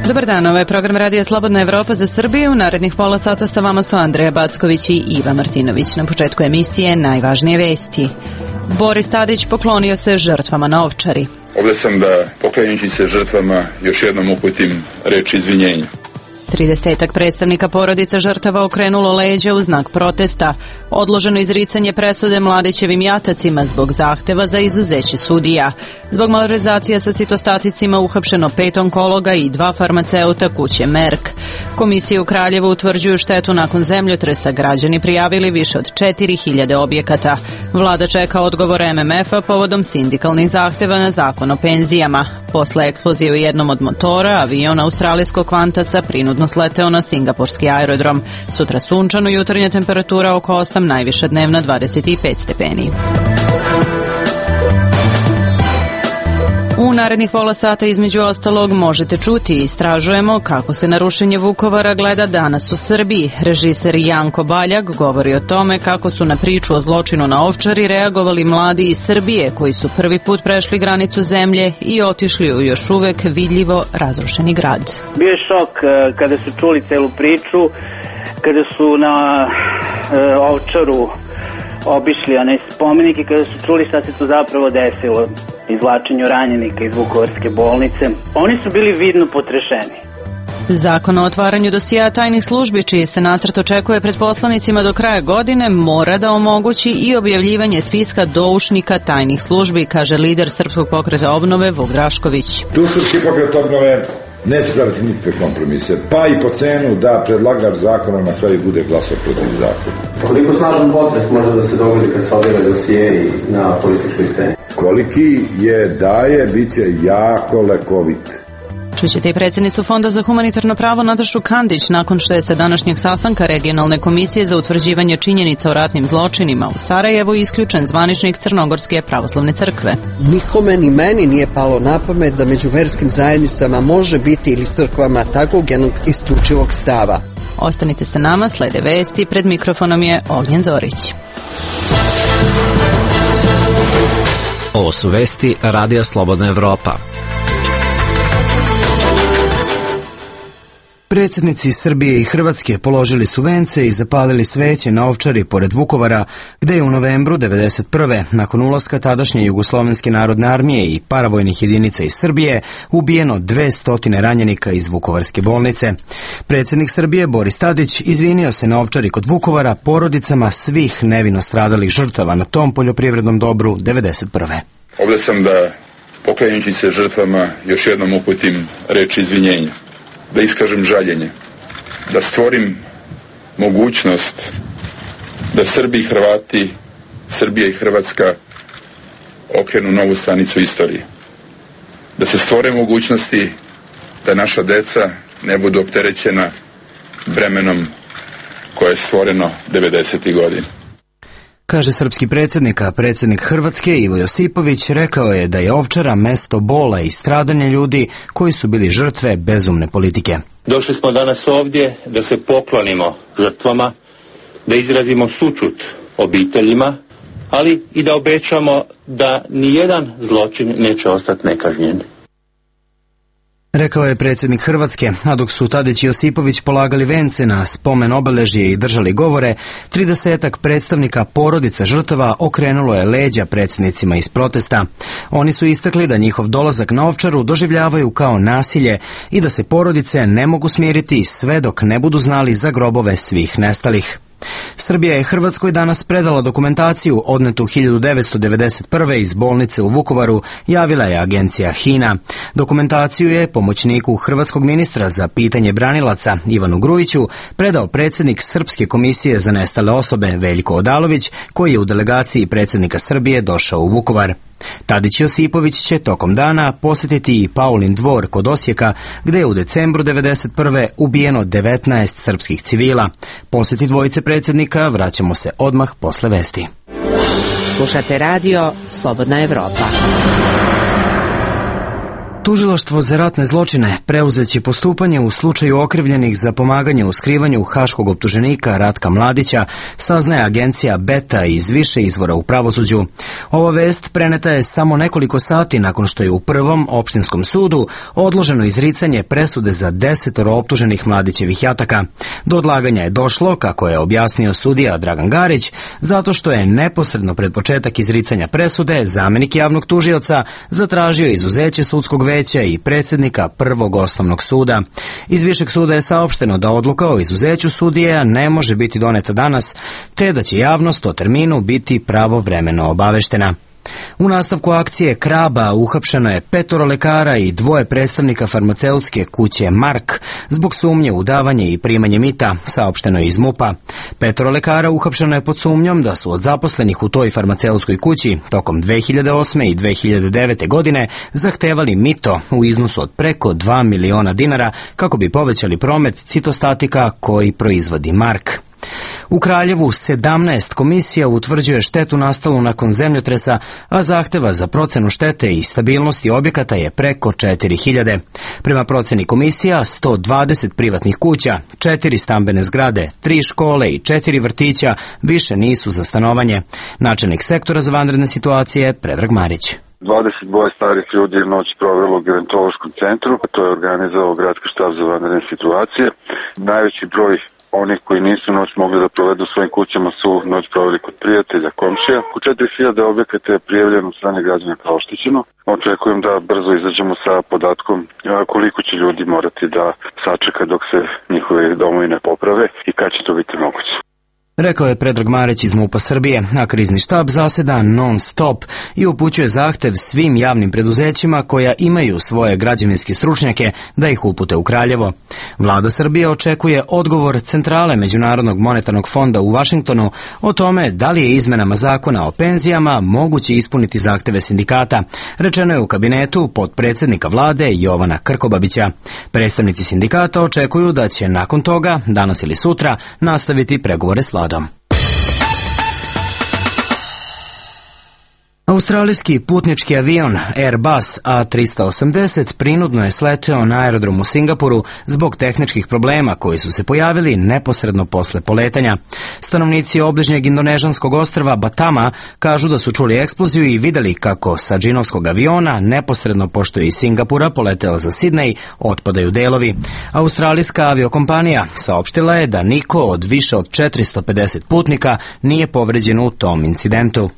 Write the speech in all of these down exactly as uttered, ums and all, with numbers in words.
Dobar dan, ovo je program Radija Slobodna Evropa za Srbiju. U narednih pola sata sa vama su Andreja Backović i Iva Martinović. Na početku emisije najvažnije vesti. Boris Tadić poklonio se žrtvama na Ovčari. Ovdje sam da, poklanjajući se žrtvama, još jednom uputim reč izvinjenja. Tridesetak predstavnika porodica žrtava okrenulo leđa u znak protesta. Odloženo izricanje presude Mladićevim jatacima zbog zahteva za izuzeće sudija. Zbog malverzacija sa citostaticima uhapšeno pet onkologa i dva farmaceuta kuće Merk. Komisije u Kraljevu utvrđuju štetu nakon zemljotresa. Građani prijavili više od četiri hiljade objekata. Vlada čeka odgovor M M F-a povodom sindikalnih zahteva na zakon o penzijama. Posle eksplozije u jednom od motora, avion australijskog Qantasa prinudno sleteo na singapurski aerodrom. Sutra sunčano, jutarnja temperatura oko osam, najviša dnevna dvadeset pet stepeni. U narednih pola sata između ostalog možete čuti i istražujemo kako se na rušenje Vukovara gleda danas u Srbiji. Režiser Janko Baljak govori o tome kako su na priču o zločinu na Ovčari reagovali mladi iz Srbije koji su prvi put prešli granicu zemlje i otišli u još uvek vidljivo razrušeni grad. Bio je šok kada su čuli celu priču, kada su na e, Ovčaru obišli onaj spomenik i kada su čuli šta se tu zapravo desilo, izvlačenju ranjenika iz Vukovarske bolnice. Oni su bili vidno potrešeni. Zakon o otvaranju dosijea tajnih službi, čiji se nacrt očekuje pred poslanicima do kraja godine, mora da omogući i objavljivanje spiska doušnika tajnih službi, kaže lider Srpskog pokreta obnove Vuk Drašković. Tu Srpski pokret obnove neće praviti nikakve kompromise, pa i po cenu da predlagač zakona na kraju bude glasao protiv zakona. Koliko snažan potres može da se dogodi kad se objave dosijei na političkoj sceni? Koliki je daje, bit će jako lekovit. Čućete i predsjednicu Fonda za humanitarno pravo Natašu Kandić nakon što je sa današnjeg sastanka Regionalne komisije za utvrđivanje činjenica o ratnim zločinima u Sarajevu isključen zvaničnik Crnogorske pravoslavne crkve. Nikome ni meni nije palo na pamet da među verskim zajednicama može biti ili crkvama takvog jednog isključivog stava. Ostanite sa nama, slede vesti, pred mikrofonom je Ognjen Zorić. Ovo su vesti Radija Slobodna Evropa. Predsjednici Srbije i Hrvatske položili su vence i zapalili sveće na Ovčari pored Vukovara, gde je u novembru devedeset prve nakon ulaska tadašnje Jugoslovenske narodne armije i paravojnih jedinica iz Srbije, ubijeno dvesta ranjenika iz Vukovarske bolnice. Predsjednik Srbije Boris Tadić izvinio se na Ovčari kod Vukovara porodicama svih nevino stradalih žrtava na tom poljoprivrednom dobru devedeset prve. Ovdje sam da, poklanjajući se žrtvama, još jednom uputim reč izvinjenja. Da iskažem žaljenje, da stvorim mogućnost da Srbi i Hrvati, Srbija i Hrvatska okrenu novu stranicu istorije. Da se stvore mogućnosti da naša deca ne budu opterećena bremenom koje je stvoreno devedesetih godina. Kaže srpski predsjednik, a predsjednik Hrvatske Ivo Josipović rekao je da je Ovčara mesto bola i stradanja ljudi koji su bili žrtve bezumne politike. Došli smo danas ovdje da se poklonimo žrtvama, da izrazimo sućut obiteljima, ali i da obećamo da nijedan zločin neće ostati nekažnjen. Rekao je predsjednik Hrvatske, a dok su Tadić i Josipović polagali vence na spomen obeležje i držali govore, tridesetak predstavnika porodica žrtava okrenulo je leđa predsjednicima iz protesta. Oni su istakli da njihov dolazak na Ovčaru doživljavaju kao nasilje i da se porodice ne mogu smiriti sve dok ne budu znali za grobove svih nestalih. Srbija je Hrvatskoj danas predala dokumentaciju odnetu hiljadu devetsto devedeset prve iz bolnice u Vukovaru, javila je agencija HINA. Dokumentaciju je pomoćniku hrvatskog ministra za pitanje branilaca Ivanu Grujiću predao predsjednik Srpske komisije za nestale osobe Veljko Odalović, koji je u delegaciji predsjednika Srbije došao u Vukovar. Tadić i Josipović će tokom dana posjetiti i Paulin dvor kod Osijeka, gde je u decembru devedeset prve ubijeno devetnaest srpskih civila. Posjeti dvojice predsjednika vraćamo se odmah posle vesti. Slušate radio Slobodna Evropa. Tužilaštvo za ratne zločine preuzeće postupanje u slučaju okrivljenih za pomaganje u skrivanju haškog optuženika Ratka Mladića, saznaje agencija Beta iz više izvora u pravosuđu. Ova vest preneta je samo nekoliko sati nakon što je u prvom opštinskom sudu odloženo izricanje presude za desetoro optuženih Mladićevih jataka. Do odlaganja je došlo, kako je objasnio sudija Dragan Garić, zato što je neposredno pred početak izricanja presude zamenik javnog tužioca zatražio izuzeće sudskog veća i predsjednika prvog osnovnog suda. Iz višeg suda je saopšteno da odluka o izuzeću sudije ne može biti doneta danas, te da će javnost o terminu biti pravovremeno obaveštena. U nastavku akcije Kraba uhapšeno je petoro lekara i dvoje predstavnika farmaceutske kuće Mark zbog sumnje u davanje i primanje mita, saopšteno je iz MUP-a. Petoro lekara uhapšeno je pod sumnjom da su od zaposlenih u toj farmaceutskoj kući tokom dve hiljade osme i dve hiljade devete godine zahtevali mito u iznosu od preko dva miliona dinara kako bi povećali promet citostatika koji proizvodi Mark. U Kraljevu sedamnaest komisija utvrđuje štetu nastalu nakon zemljotresa, a zahteva za procenu štete i stabilnosti objekata je preko četiri hiljade. Prema proceni komisija, sto dvadeset privatnih kuća, četiri stambene zgrade, tri škole i četiri vrtića više nisu za stanovanje. Načelnik sektora za vanredne situacije Predrag Marić. dvadeset dvoje starih ljudi je noć provelo u gerontološkom centru, to je organizovao Gradski štab za vanredne situacije. Najveći broj onih koji nisu noć mogli da provedu u svojim kućama su noć proveli kod prijatelja, komšija. U četiri hiljade objekata je prijavljeno od strane građana kao oštećeno. Očekujem da brzo izađemo sa podatkom koliko će ljudi morati da sačeka dok se njihove domovi ne poprave i kad će to biti moguće. Rekao je Predrag Marić iz MUP-a Srbije, a krizni štab zaseda non stop i upućuje zahtev svim javnim preduzećima koja imaju svoje građevinske stručnjake da ih upute u Kraljevo. Vlada Srbije očekuje odgovor Centrale Međunarodnog monetarnog fonda u Vašingtonu o tome da li je izmenama zakona o penzijama moguće ispuniti zahteve sindikata, rečeno je u kabinetu potpredsjednika vlade Jovana Krkobabića. Predstavnici sindikata očekuju da će nakon toga, danas ili sutra, nastaviti pregovore s vladom. Australijski putnički avion Airbus A trista osamdeset prinudno je sleteo na aerodromu u Singapuru zbog tehničkih problema koji su se pojavili neposredno posle poletanja. Stanovnici obližnjeg indonežanskog ostrva Batama kažu da su čuli eksploziju i videli kako sa džinovskog aviona neposredno pošto je iz Singapura poleteo za Sidnej otpadaju delovi. Australijska aviokompanija saopštila je da niko od više od četiristo pedeset putnika nije povređen u tom incidentu.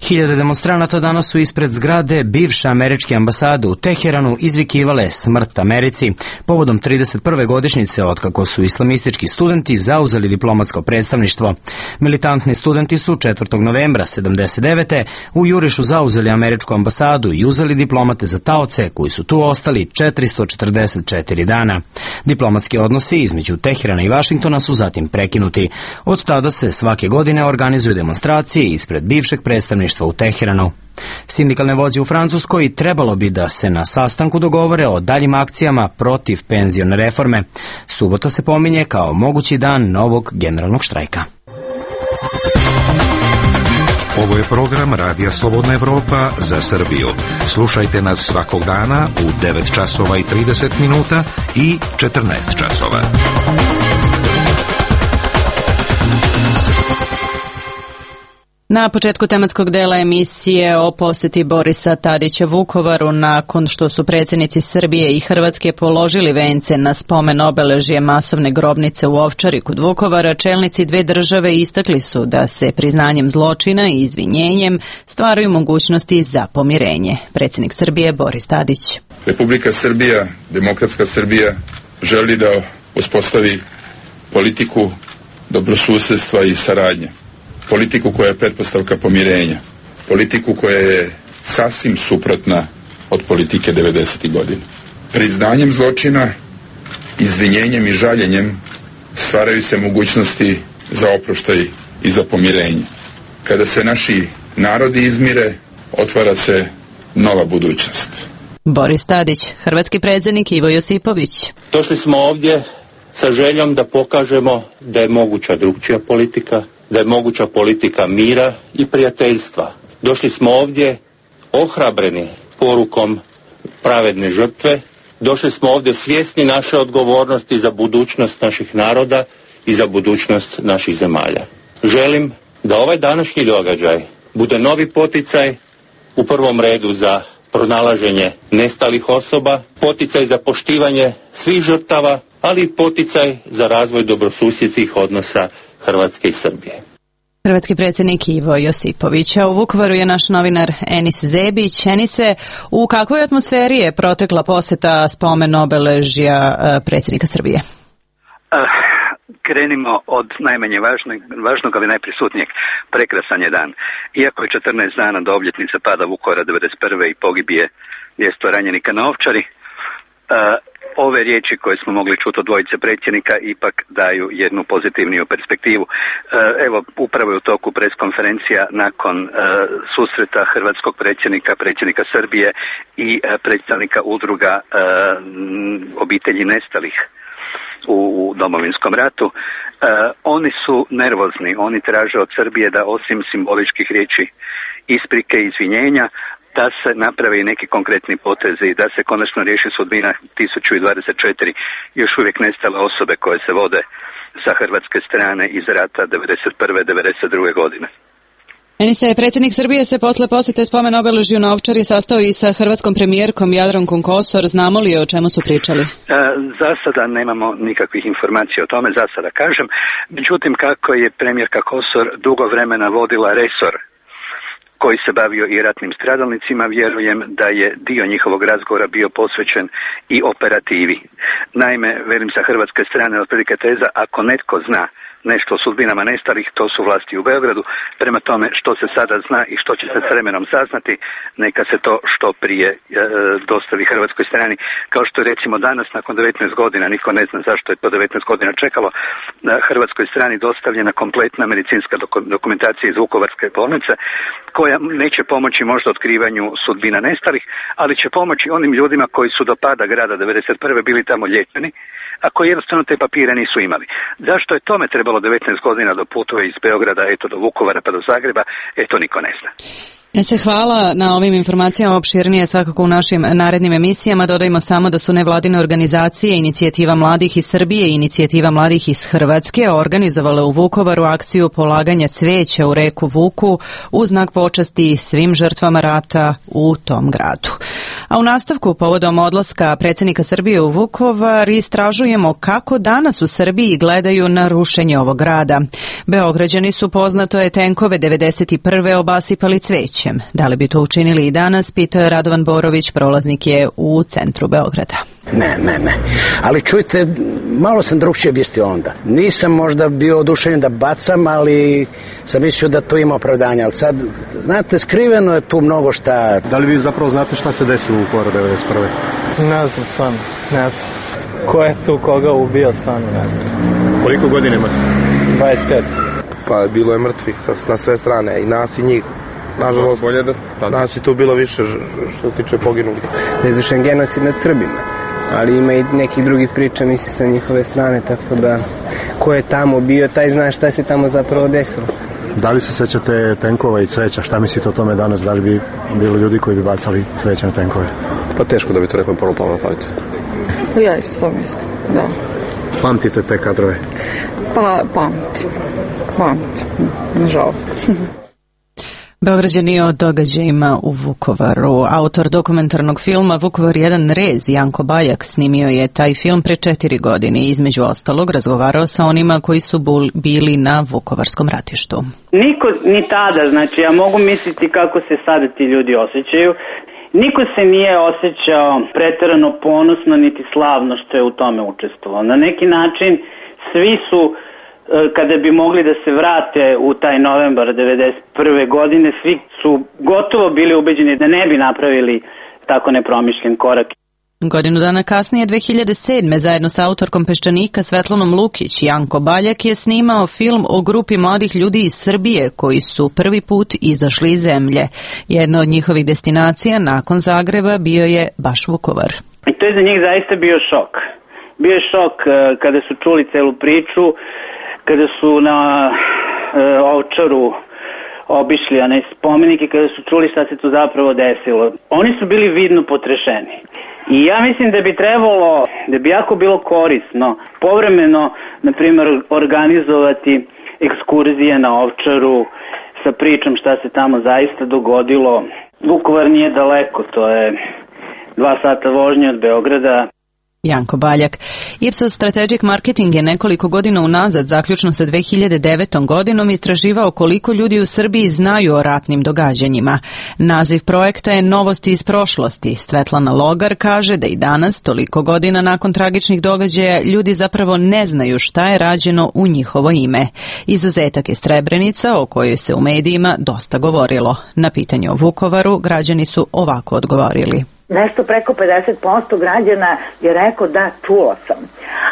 Hiljade demonstranata danas su ispred zgrade bivše američke ambasade u Teheranu izvikivale smrt Americi povodom trideset prve godišnjice otkako su islamistički studenti zauzeli diplomatsko predstavništvo. Militantni studenti su četvrtog novembra sedamdeset devete u jurišu zauzeli američku ambasadu i uzeli diplomate za taoce koji su tu ostali četiristo četrdeset četiri dana. Diplomatski odnosi između Teherana i Vašingtona su zatim prekinuti. Od tada se svake godine organizuju demonstracije ispred bivšeg predstavništva u Teheranu. Sindikalne vođe u Francuskoj trebalo bi da se na sastanku dogovore o daljim akcijama protiv penzione reforme. Subota se pominje kao mogući dan novog generalnog štrajka. Ovo je program Radija Slobodna Evropa za Srbiju. Slušajte nas svakog dana u devet časova i trideset minuta i četrnaest časova. Na početku tematskog dela emisije o posjeti Borisa Tadića Vukovaru, nakon što su predsjednici Srbije i Hrvatske položili vence na spomen obeležje masovne grobnice u Ovčari kod Vukovara, čelnici dve države istakli su da se priznanjem zločina i izvinjenjem stvaraju mogućnosti za pomirenje. Predsjednik Srbije Boris Tadić. Republika Srbija, demokratska Srbija, želi da uspostavi politiku dobrosusjedstva i saradnje. Politiku koja je pretpostavka pomirenja, politiku koja je sasvim suprotna od politike devedesetih godina. Priznanjem zločina, izvinjenjem i žaljenjem stvaraju se mogućnosti za oproštaj i za pomirenje. Kada se naši narodi izmire, otvara se nova budućnost. Boris Tadić, hrvatski predsjednik Ivo Josipović. Došli smo ovdje sa željom da pokažemo da je moguća drugčija politika, da je moguća politika mira i prijateljstva. Došli smo ovdje ohrabreni porukom pravedne žrtve. Došli smo ovdje svjesni naše odgovornosti za budućnost naših naroda i za budućnost naših zemalja. Želim da ovaj današnji događaj bude novi poticaj u prvom redu za pronalaženje nestalih osoba, poticaj za poštivanje svih žrtava, ali i poticaj za razvoj dobrosusjedskih odnosa Hrvatske i Srbije. Hrvatski predsjednik Ivo Josipović, a u Vukovaru je naš novinar Enis Zebić. Enise, u kakvoj atmosferi je protekla posjeta spomen obeležja predsjednika Srbije? Uh, krenimo od najmanje važnog, važnog, ali najprisutnijeg. Prekrasan je dan. Iako je četrnaest dana do obljetnice pada Vukovara devedeset prve i pogibije dvjesto ranjenika na Ovčari, uh, ove riječi koje smo mogli čuti od dvojice predsjednika ipak daju jednu pozitivniju perspektivu. Evo, upravo je u toku preskonferencija nakon uh, susreta hrvatskog predsjednika, predsjednika Srbije i uh, predstavnika udruga uh, obitelji nestalih u, u Domovinskom ratu. Uh, oni su nervozni, oni traže od Srbije da osim simboličkih riječi isprike i izvinjenja, da se naprave i neki konkretni potezi, da se konačno riješi sudbina tisuću dvadeset četiri još uvijek nestale osobe koje se vode sa hrvatske strane iz rata devedeset prve devedeset druge godine. Enise, predsjednik Srbije se posle posjete spomen obeležju na Ovčari sastao i sa hrvatskom premijerkom Jadrankom Kosor. Znamo li o čemu su pričali? E, za sada nemamo nikakvih informacija o tome, za sada kažem. Međutim, kako je premijerka Kosor dugo vremena vodila resor koji se bavio i ratnim stradalnicima, vjerujem da je dio njihovog razgovora bio posvećen i operativi. Naime, velim sa hrvatske strane otprilike teza, ako netko zna nešto o sudbinama nestalih, to su vlasti u Beogradu. Prema tome, što se sada zna i što će se s vremenom saznati, neka se to što prije e, dostavi hrvatskoj strani. Kao što je recimo danas, nakon devetnaest godina, niko ne zna zašto je to devetnaest godina čekalo, na hrvatskoj strani dostavljena kompletna medicinska dokumentacija iz Vukovarske bolnice, koja neće pomoći možda otkrivanju sudbina nestalih, ali će pomoći onim ljudima koji su do pada grada devedeset prve bili tamo liječeni, a koji jednostavno te papire nisu imali. Zašto je tome trebalo devetnaest godina do putove iz Beograda, eto do Vukovara pa do Zagreba, eto niko ne zna. Se hvala na ovim informacijama, opširnije svakako u našim narednim emisijama. Dodajmo samo da su nevladine organizacije Inicijativa mladih iz Srbije i Inicijativa mladih iz Hrvatske organizovale u Vukovaru akciju polaganja cvijeća u reku Vuku u znak počasti svim žrtvama rata u tom gradu. A u nastavku, povodom odlaska predsjednika Srbije u Vukovar, istražujemo kako danas u Srbiji gledaju na rušenje ovog grada. Beograđani su, poznato je, tenkove devedeset prve obasipali cvećem. Da li bi to učinili i danas, pitao je Radovan Borović, prolaznik je u centru Beograda. Ne, ne, ne. Ali čujte, malo sam drugčije mislio onda. Nisam možda bio oduševljen da bacam, ali sam mislio da to ima opravdanje. Ali sad, znate, skriveno je tu mnogo šta. Da li vi zapravo znate šta se desilo u Vukovaru devedeset prve? Ne znam, stvarno, ne znam. Ko je tu koga ubio, stvarno ne znam. Koliko godina imate? dvadeset pet. Pa bilo je mrtvih na sve strane, i nas i njih. Nažalost, bolje da nas je tu bilo više što se tiče poginulih. Da je izvršen genocid nad Srbima, ali ima i nekih drugih priča, misli sa njihove strane, tako da ko je tamo bio, taj zna šta se tamo zapravo desilo. Da li se sećate tenkova i cveća? Šta mislite o tome danas? Da li bi bilo ljudi koji bi bacali cveća na tenkove? Pa teško da bi to neko prvo palo na pamet. Ja isto to mislim, da. Pamtite te kadrove? Pa pamtim, pamtim, nažalost. Beograđani o događajima u Vukovaru. Autor dokumentarnog filma Vukovar jedan rez, Janko Bajak, snimio je taj film pre četiri godine i između ostalog razgovarao sa onima koji su bili na Vukovarskom ratištu. Niko ni tada, znači ja mogu misliti kako se sada ti ljudi osjećaju. Niko se nije osjećao preterano ponosno niti slavno što je u tome učestvovao. Na neki način svi su, kada bi mogli da se vrate u taj novembar devedeset prve godine, svi su gotovo bili ubeđeni da ne bi napravili tako nepromišljen korak. Godinu dana kasnije, dve hiljade sedme, zajedno sa autorkom Peščanika Svetlanom Lukić, Janko Baljak je snimao film o grupi mladih ljudi iz Srbije koji su prvi put izašli iz zemlje. Jedna od njihovih destinacija nakon Zagreba bio je baš Vukovar. I to je za njih zaista bio šok. Bio je šok kada su čuli celu priču, kada su na e, Ovčaru obišli onaj spomenik i kada su čuli šta se tu zapravo desilo. Oni su bili vidno potrešeni. I ja mislim da bi trebalo, da bi jako bilo korisno povremeno, na primjer, organizovati ekskurzije na Ovčaru sa pričom šta se tamo zaista dogodilo. Vukovar nije daleko, to je dva sata vožnje od Beograda. Janko Baljak. Ipsos Strategic Marketing je nekoliko godina unazad, zaključno sa dve hiljade devetom godinom, istraživao koliko ljudi u Srbiji znaju o ratnim događanjima. Naziv projekta je Novosti iz prošlosti. Svetlana Logar kaže da i danas, toliko godina nakon tragičnih događaja, ljudi zapravo ne znaju šta je rađeno u njihovo ime. Izuzetak je Srebrenica, o kojoj se u medijima dosta govorilo. Na pitanje o Vukovaru građani su ovako odgovorili. Nešto preko pedeset posto građana je rekao da, čuo sam.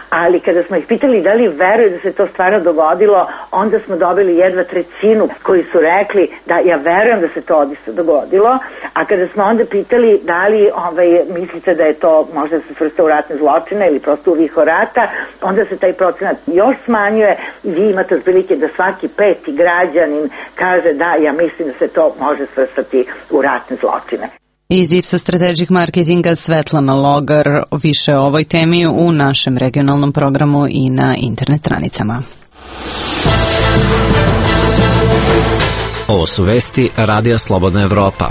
Ali kada smo ih pitali da li veruju da se to stvarno dogodilo, onda smo dobili jedva trećinu koji su rekli da ja verujem da se to odista dogodilo. A kada smo onda pitali da li ovaj, mislite da je to možda se svrsta u ratne zločine ili prosto u viho rata, onda se taj procenat još smanjuje i vi imate otprilike da svaki peti građanin kaže da ja mislim da se to može svrstati u ratne zločine. Iz Ipsos Strategic Marketinga Svetlana Logar, više o ovoj temi u našem regionalnom programu i na internet stranicama. Ovo su vesti Radija Slobodna Evropa.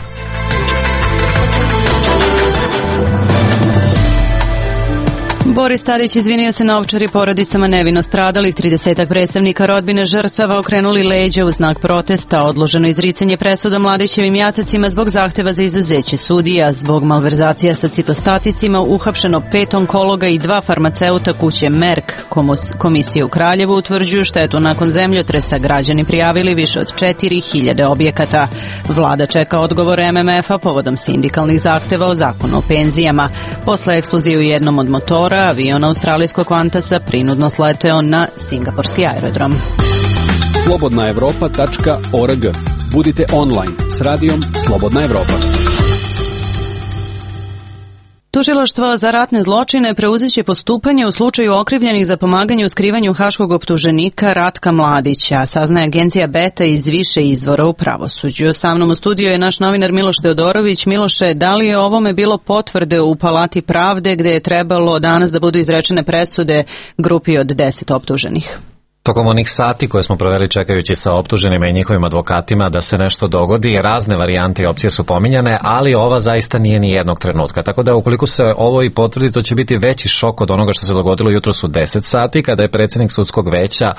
Boris Tadić izvinio se na Ovčari porodicama nevino stradalih. tridesetak predstavnika rodbine žrtava okrenuli leđa u znak protesta. Odloženo izricanje presuda Mladićevim jatacima zbog zahteva za izuzeće sudija. Zbog malverzacija sa citostaticima uhapšeno pet onkologa i dva farmaceuta kuće Merck. Komisije u Kraljevu utvrđuju štetu nakon zemljotresa. Građani prijavili više od četiri hiljade objekata. Vlada čeka odgovor em em ef-a povodom sindikalnih zahteva o zakonu o penzijama. Posle eksplozije u jednom od motora, avion australijskog Qantasa prinudno sleteo na singapurski aerodrom. slobodna evropa tačka org. Budite online s radijom Slobodna Evropa. Tužilaštvo za ratne zločine preuzeće postupanje u slučaju okrivljenih za pomaganje u skrivanju haškog optuženika Ratka Mladića, saznaje agencija Beta iz više izvora u pravosuđu. Sa mnom u studiju je naš novinar Miloš Teodorović. Miloše, da li je ovome bilo potvrde u Palati pravde gde je trebalo danas da budu izrečene presude grupi od deset optuženih? Tokom onih sati koje smo proveli čekajući sa optuženima i njihovim advokatima da se nešto dogodi, razne varijante i opcije su pominjane, ali ova zaista nije ni jednog trenutka. Tako da ukoliko se ovo i potvrdi, to će biti veći šok od onoga što se dogodilo jutros u deset sati, kada je predsjednik sudskog veća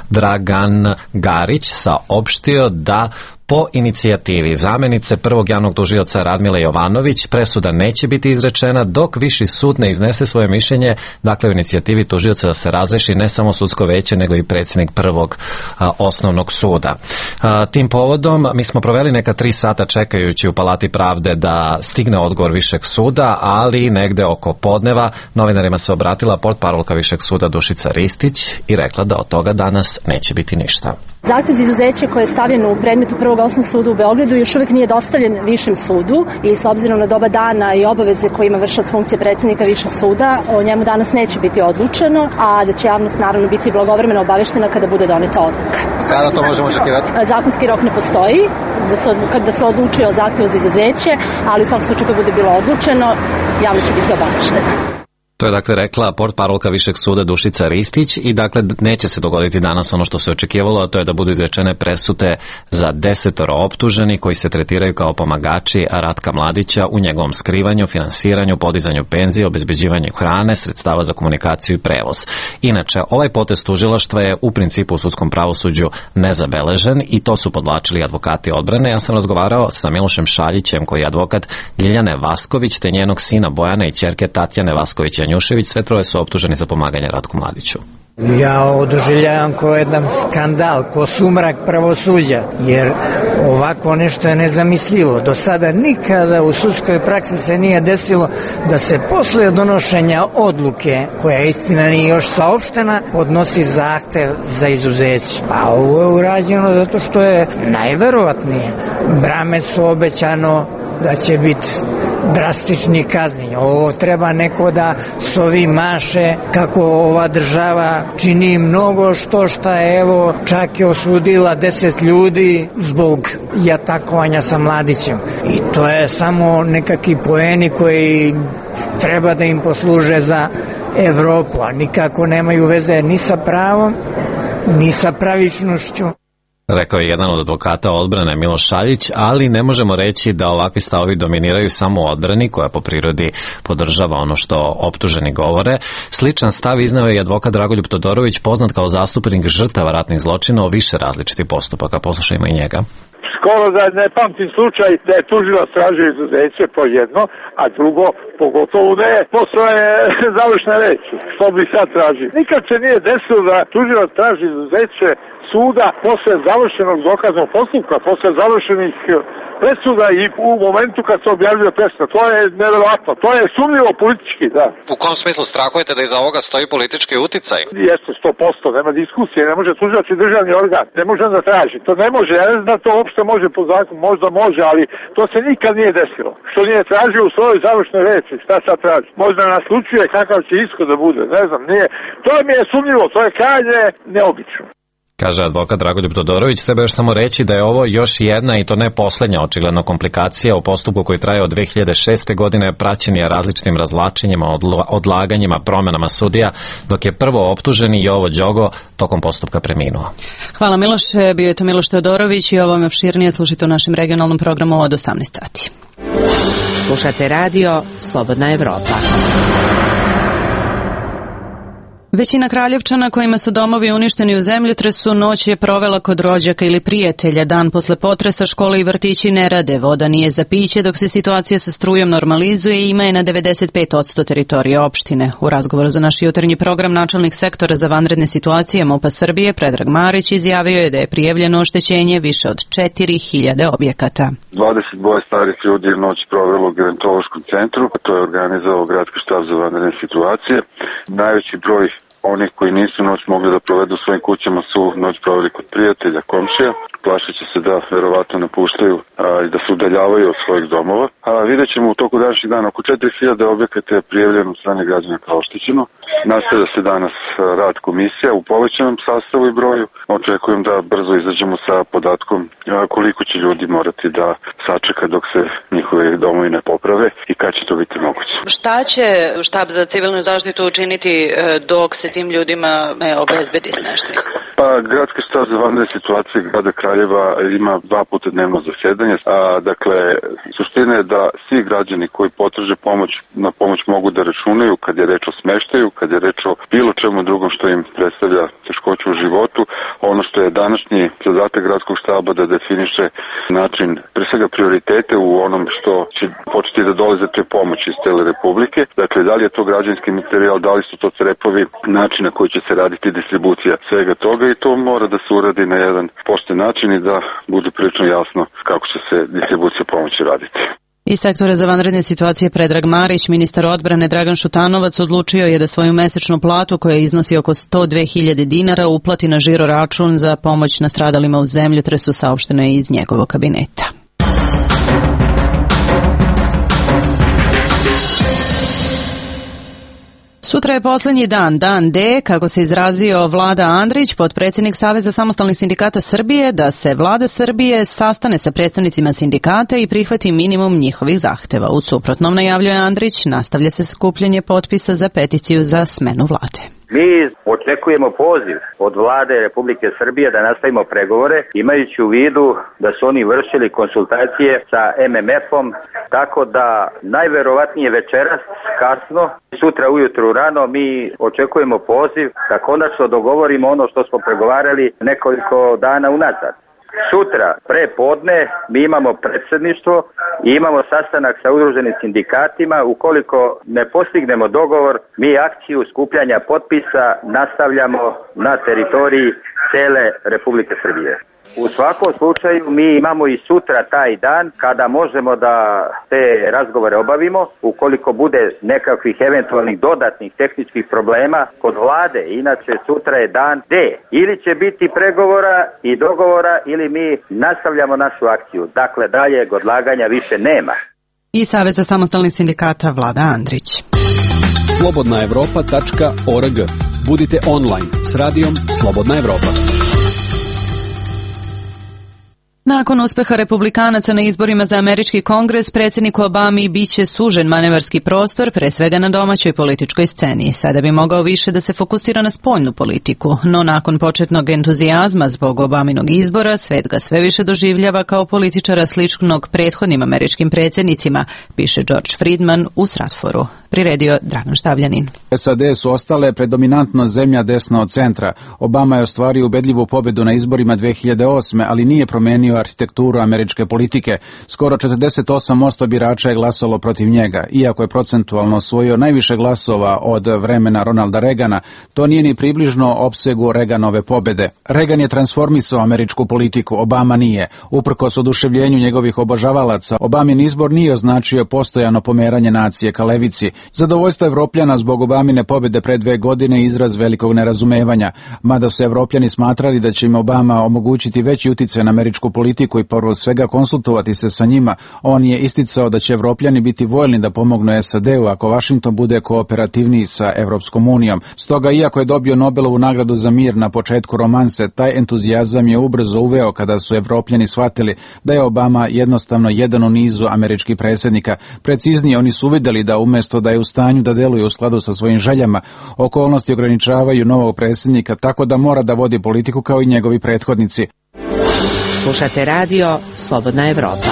Dragan Garić saopštio da po inicijativi zamenice prvog javnog tužioca Radmile Jovanović presuda neće biti izrečena dok viši sud ne iznese svoje mišljenje, dakle u inicijativi tužioca da se razreši ne samo sudsko veće nego i predsjednik prvog a, osnovnog suda. A, tim povodom mi smo proveli neka tri sata čekajući u Palati pravde da stigne odgovor višeg suda, ali negde oko podneva novinarima se obratila portparolka višeg suda Dušica Ristić i rekla da od toga danas neće biti ništa. Zahtev za izuzeće koje je stavljen u predmetu prvog osnovnog suda u Beogradu još uvijek nije dostavljen višem sudu i s obzirom na doba dana i obaveze koje ima vršilac funkcije predsjednika višeg suda, o njemu danas neće biti odlučeno, a da će javnost naravno biti blagovremeno obaveštena kada bude doneta odluka. Kada to možemo očekivati? Zakonski rok ne postoji da se, da se odlučuje o zahtevu za izuzeće, ali u svakom slučaju kad bude bilo odlučeno, javno će biti obaveštena. To je dakle rekla portparolka višeg suda Dušica Ristić i dakle neće se dogoditi danas ono što se očekivalo, a to je da budu izrečene presude za desetoro optuženi koji se tretiraju kao pomagači Ratka Mladića u njegovom skrivanju, finansiranju, podizanju penzije, obezbeđivanju hrane, sredstava za komunikaciju i prevoz. Inače, ovaj potez tužilaštva je u principu u sudskom pravosuđu nezabeležen i to su podvlačili advokati odbrane. Ja sam razgovarao sa Milošem Šaljićem koji je advokat Ljiljane Vasković te njenog sina Bojana i ćerke Tatjane Vasković Janjušević, sve troje su optuženi za pomaganje Ratku Mladiću. Ja ovo doživljavam kao jedan skandal, kao sumrak pravosuđa, jer ovako nešto je nezamislivo. Do sada nikada u sudskoj praksi se nije desilo da se posle donošenja odluke, koja istina nije još saopštena, podnosi zahtev za izuzeće. A ovo je urađeno zato što je najverovatnije Bramecu obećano da će biti drastičnih kazni. Ovo treba neko da s ovim maše kako ova država čini mnogo što šta, evo, čak je osudila deset ljudi zbog jatakovanja sa mladićem. I to je samo nekakvi poeni koji treba da im posluže za Evropu, a nikako nemaju veze ni sa pravom, ni sa pravičnošću. Rekao je jedan od advokata odbrane Miloš Šaljić, ali ne možemo reći da ovakvi stavovi dominiraju samo u odbrani, koja po prirodi podržava ono što optuženi govore. Sličan stav izneo je i advokat Dragoljub Todorović, poznat kao zastupnik žrtava ratnih zločina u više različitih postupaka. Poslušajmo i njega. Skoro da ne pamtim slučaj da je tužilac tražio izuzeće, to jedno, a drugo, pogotovo ne, posle završne reči, što bi sad tražio. Nikad se nije desilo da tužilac traži izuzeće suda posle završenog dokaznog postupka, posle završenih presuda i u momentu kad se objavljuje presuda. To je neverovatno, to je sumnjivo politički, da. U kom smislu strahujete da iza ovoga stoji politički uticaj? Jeste, sto posto, nema diskusije, ne može tužilac i državni organ, ne može da traži, to ne može, ja ne znam da to uopšte može po zakonu, možda može, ali to se nikad nije desilo. Što nije tražio u svojoj završnoj reči, šta sad traži? Možda naslučuje kakav će ishod da bude, ne znam, nije. To mi je sumnjivo, to je krajnje neobično. Kaže advokat Dragoljub Todorović. Treba još samo reći da je ovo još jedna, i to ne poslednja, očigledno komplikacija u postupku koji traje od dve hiljade šeste. godine, praćen je različitim razvlačenjima, odlaganjima, promenama sudija, dok je prvo optuženi Jovo Đogo tokom postupka preminuo. Hvala Miloše, bio je to Miloš Todorović i ovo me opširnije slušajte u našem regionalnom programu od osamnaest sati. Slušate radio Slobodna Evropa. Većina Kraljevčana kojima su domovi uništeni u zemljotresu noć je provela kod rođaka ili prijatelja. Dan posle potresa škole i vrtići ne rade, voda nije za piće, dok se situacija sa strujom normalizuje i ima je na devedeset pet posto teritorije opštine. U razgovoru za naš jutarnji program načelnik sektora za vanredne situacije MUP-a Srbije Predrag Marić izjavio je da je prijavljeno oštećenje više od četiri hiljade objekata. dvadeset dvoje starih ljudi je noć provelo u gerontološkom centru, to je organizovao Gradski štab za vanredne situacije. Najveći broj onih koji nisu noć mogli da provedu u svojim kućama su noć proveli kod prijatelja, komšija. Plašeći se da verovatno napuštaju a, i da se udaljavaju od svojih domova. A vidjet ćemo u toku današnjeg dana oko četiri hiljade objekata je prijavljeno od strane građana kao oštećeno. Nastavlja se danas rad komisija u povećanom sastavu i broju. Očekujem da brzo izađemo sa podatkom a, koliko će ljudi morati da sačeka dok se njihove domovi ne poprave i kad će to biti moguće. Šta će štab za civilnu zaštitu učiniti dok se tim ljudima ne obezbedi smeštaj? Pa, Gradski štab za vanredne situacije grada Kraljeva ima dva puta dnevno zasedanje. A, dakle, suština je da svi građani koji potraže pomoć, na pomoć mogu da računaju kad je reč o smeštaju, kad je reč o bilo čemu drugom što im predstavlja teškoću u životu. Ono što je današnji zadatak Gradskog štaba da definiše način, pre svega prioritete u onom što će početi da dolaze te pomoći iz cele Republike. Dakle, da li je to građanski materijal, da li su to crepovi, način na koji će se raditi distribucija svega toga i to mora da se uradi na jedan pošten način i da bude prilično jasno kako će se distribucija pomoći raditi. Iz sektora za vanredne situacije Predrag Marić, ministar odbrane Dragan Šutanovac odlučio je da svoju mesečnu platu koja iznosi oko sto dve hiljade dinara uplati na žiro račun za pomoć nastradalima u zemljotresu, saopšteno je iz njegovog kabineta. Sutra je poslednji dan, dan D, kako se izrazio Vlada Andrić, potpredsjednik Saveza samostalnih sindikata Srbije, da se Vlada Srbije sastane sa predstavnicima sindikata i prihvati minimum njihovih zahteva. U suprotnom, najavljuje Andrić, nastavlja se skupljanje potpisa za peticiju za smenu vlade. Mi očekujemo poziv od vlade Republike Srbije da nastavimo pregovore, imajući u vidu da su oni vršili konsultacije sa em em efom, tako da najverovatnije večeras kasno, sutra ujutru rano mi očekujemo poziv da konačno dogovorimo ono što smo pregovarali nekoliko dana unazad. Sutra, pre podne, mi imamo predsjedništvo i imamo sastanak sa udruženim sindikatima. Ukoliko ne postignemo dogovor, mi akciju skupljanja potpisa nastavljamo na teritoriji cele Republike Srbije. U svakom slučaju mi imamo i sutra taj dan kada možemo da te razgovore obavimo. Ukoliko bude nekakvih eventualnih dodatnih tehničkih problema kod vlade, inače sutra je dan D. Ili će biti pregovora i dogovora ili mi nastavljamo našu akciju. Dakle, dalje odlaganja više nema. I Saveza samostalnih sindikata Vlada Andrić. slobodna evropa tačka org. Budite online s radijom Slobodna Evropa. Nakon uspeha republikanaca na izborima za američki kongres, predsjedniku Obami biće sužen manevarski prostor, pre svega na domaćoj političkoj sceni. Sada bi mogao više da se fokusira na spoljnu politiku, no nakon početnog entuzijazma zbog Obaminog izbora, svet ga sve više doživljava kao političara sličnog prethodnim američkim predsjednicima, piše George Friedman u Stratforu. Priredio Dragan Štavljanin. S A D su ostale predominantno zemlja desno od centra. Obama je ostvario ubedljivu pobedu na izborima dve hiljade osme, ali nije promenio arhitekturu američke politike. Skoro četrdeset osam posto birača je glasalo protiv njega. Iako je procentualno osvojio najviše glasova od vremena Ronalda Reagana, to nije ni približno opsegu Reaganove pobede. Reagan je transformisao američku politiku, Obama nije. Uprkos oduševljenju njegovih obožavalaca, Obamin izbor nije označio postojano pomeranje nacije ka levici. Zadovoljstvo Evropljana zbog Obamine pobjede pre dve godine izraz velikog nerazumevanja, mada su Evropljani smatrali da će im Obama omogućiti veći uticaj na američku politiku i prvo svega konsultovati se sa njima. On je isticao da će Evropljani biti voljni da pomognu S A D-u ako Vašington bude kooperativniji sa Evropskom unijom. Stoga, iako je dobio Nobelovu nagradu za mir na početku romanse, taj entuzijazam je ubrzo uveo kada su Evropljani shvatili da je Obama jednostavno jedan u nizu američkih predsjednika. Preciznije, oni su uvidjeli da umjesto da je u stanju da deluje u skladu sa svojim željama, okolnosti ograničavaju novog predsjednika, tako da mora da vodi politiku kao i njegovi prethodnici. Slušate radio Slobodna Evropa.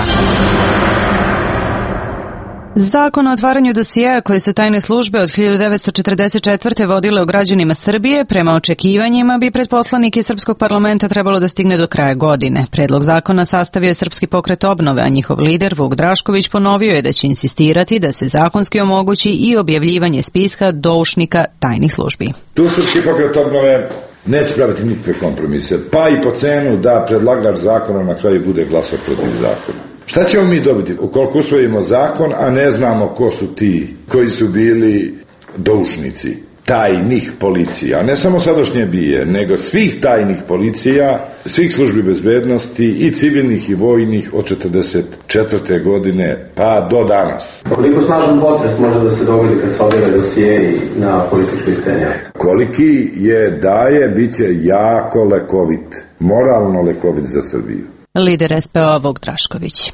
Zakon o otvaranju dosijeja koje su tajne službe od hiljadu devetsto četrdeset četvrte vodile o građanima Srbije, prema očekivanjima bi pred poslanike Srpskog parlamenta trebalo da stigne do kraja godine. Predlog zakona sastavio je Srpski pokret obnove, a njihov lider Vuk Drašković ponovio je da će insistirati da se zakonski omogući i objavljivanje spiska doušnika tajnih službi. Tu Srpski pokret obnove neće praviti nikakve kompromise, pa i po cenu da predlagač zakona na kraju bude glasao protiv zakona. Šta ćemo mi dobiti ukoliko usvojimo zakon, a ne znamo ko su ti koji su bili doušnici tajnih policija, ne samo sadašnje bije, nego svih tajnih policija, svih službi bezbednosti i civilnih i vojnih od četrdeset četvrte godine pa do danas. Koliko snažan potres može da se dogodi kad se objave dosijeji na političkoj sceni? Koliki je daje, bit će jako lekovit, moralno lekovit za Srbiju. Lider S P O-a Vuk Drašković.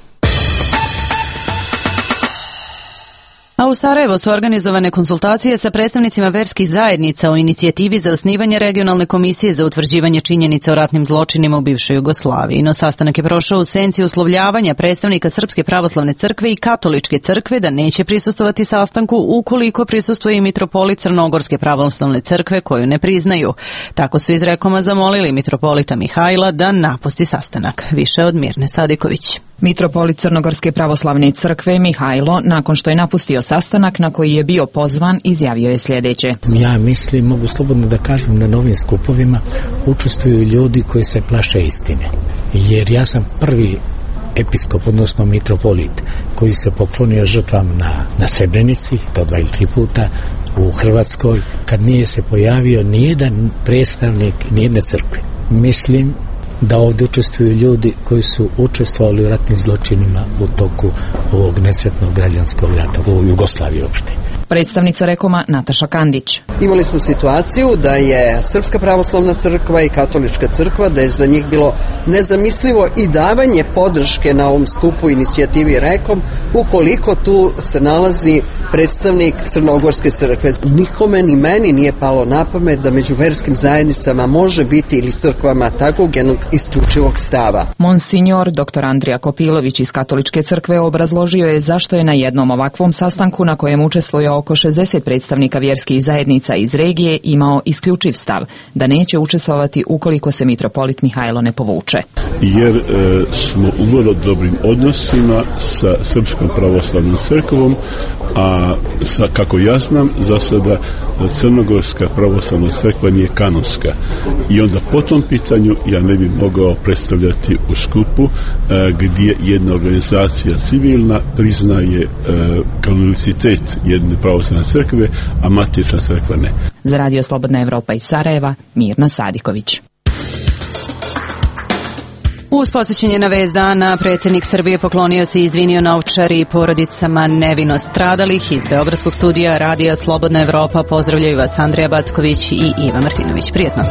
A u Sarajevu su organizovane konsultacije sa predstavnicima verskih zajednica o inicijativi za osnivanje regionalne komisije za utvrđivanje činjenica o ratnim zločinima u bivšoj Jugoslaviji. No sastanak je prošao u senci uslovljavanja predstavnika Srpske pravoslavne crkve i Katoličke crkve da neće prisustvovati sastanku ukoliko prisustvuje i mitropolit Crnogorske pravoslavne crkve koju ne priznaju. Tako su iz Rekoma zamolili mitropolita Mihajla da napusti sastanak. Više od Mirne Sadiković. Mitropolit Crnogorske pravoslavne crkve Mihajlo, nakon što je napustio sastanak na koji je bio pozvan, izjavio je sljedeće. Ja mislim, mogu slobodno da kažem, na novim skupovima učestvuju ljudi koji se plaše istine. Jer ja sam prvi episkop, odnosno mitropolit, koji se poklonio žrtvama na, na Srebrenici, to dva ili tri puta, u Hrvatskoj, kad nije se pojavio nijedan predstavnik nijedne crkve. Mislim da ovdje učestvuju ljudi koji su učestvovali u ratnim zločinima u toku ovog nesretnog građanskog rata u Jugoslaviji uopšte. Predstavnica Rekoma Nataša Kandić. Imali smo situaciju da je Srpska pravoslavna crkva i Katolička crkva, da je za njih bilo nezamislivo i davanje podrške na ovom skupu inicijativi Rekom, ukoliko tu se nalazi predstavnik Crnogorske crkve. Nikome ni meni nije palo na pamet da među verskim zajednicama može biti ili crkvama takvog jednog isključivog stava. Monsignor dr Andrija Kopilović iz Katoličke crkve obrazložio je zašto je na jednom ovakvom sastanku na kojem učestvuje oko šezdeset predstavnika vjerskih zajednica iz regije imao isključiv stav da neće učestvovati ukoliko se mitropolit Mihajlo ne povuče. Jer e, smo u vrlo dobrim odnosima sa Srpskom pravoslavnom crkvom, a sa, kako ja znam, za sada Crnogorska pravoslavna crkva nije kanonska. I onda po tom pitanju ja ne bi mogao predstavljati u skupu e, gdje jedna organizacija civilna priznaje e, kanonicitet jedne pravoslavne crkve, a matična crkva ne. Za Radio Slobodna Evropa iz Sarajeva, Mirna Sadiković. Uz posjećenje na vest dana, predsjednik Srbije poklonio se i izvinio na Ovčari i porodicama nevino stradalih. Iz Beogradskog studija Radija Slobodna Evropa pozdravljaju vas Andrija Backović i Iva Martinović. Prijetno.